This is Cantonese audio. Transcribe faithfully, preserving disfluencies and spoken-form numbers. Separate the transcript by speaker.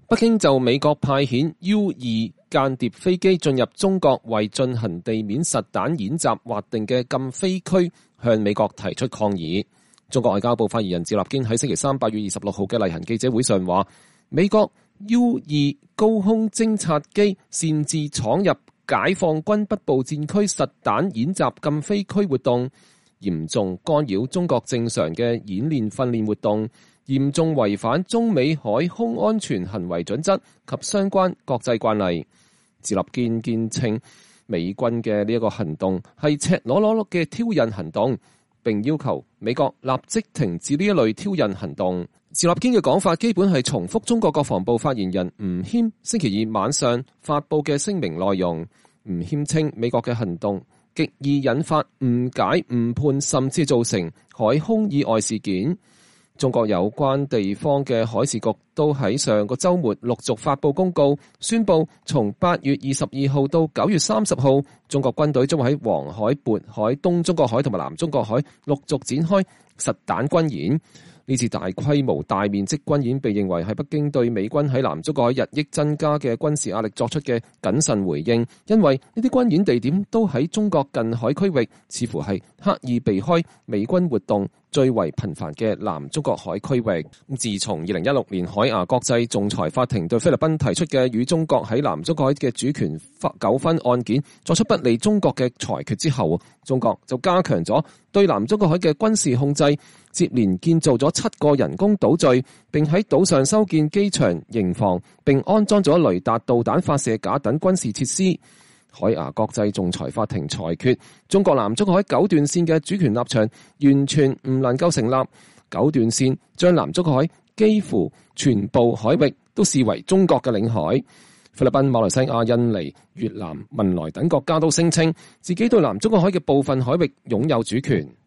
Speaker 1: 北京就美國派遣 U 二間諜飛機進入中國為進行地面實彈演習劃定嘅禁飛區，向美國提出抗議。中國外交部發言人趙立堅喺星期三八月二十六號嘅例行記者會上話，美國 U 二高空偵察機擅自闖入解放軍北部戰區實彈演習禁飛區活動，嚴重干擾中國正常嘅演練訓練活動，嚴重違反中美海空安全行為準則及相關國際慣例。趙立堅堅稱，美軍嘅呢一個行動係赤裸裸嘅挑釁行動，並要求美國立即停止呢一類挑釁行動。趙立堅嘅講法基本係重複中國國防部發言人吳謙星期二晚上發佈嘅聲明內容。吳謙稱美國嘅行動極易引發誤解、誤判，甚至造成海空意外事件。中國有關地方嘅海事局都喺上個週末陸續發佈公告，宣布從八月二十二號到九月三十號，中國軍隊將會喺黃海、渤海、東中國海同埋南中國海陸續展開實彈軍演。呢次大規模大面積軍演被認為係北京對美軍喺南中國海日益增加嘅軍事壓力作出嘅謹慎回應，因為呢啲軍演地點都喺中國近海區域，似乎係刻意避開美軍活動最為頻繁嘅南中國海區域。自從二零一六年海牙國際仲裁法庭對菲律賓提出嘅與中國喺南中國海嘅主權糾紛案件作出不利中國嘅裁決之後，中國就加強咗對南中國海嘅軍事控制，接連建造咗七個人工島嶼，並喺島上修建機場、營房，並安裝咗雷達、導彈發射架等軍事設施。海牙國際仲裁法庭裁決，中國南中國海九段線嘅主權立場完全唔能夠成立。九段線將南中國海幾乎全部海域都視為中國嘅領海。菲律賓、馬來西亞、印尼、越南、文萊等國家都聲稱自己對南中國海嘅部分海域擁有主權。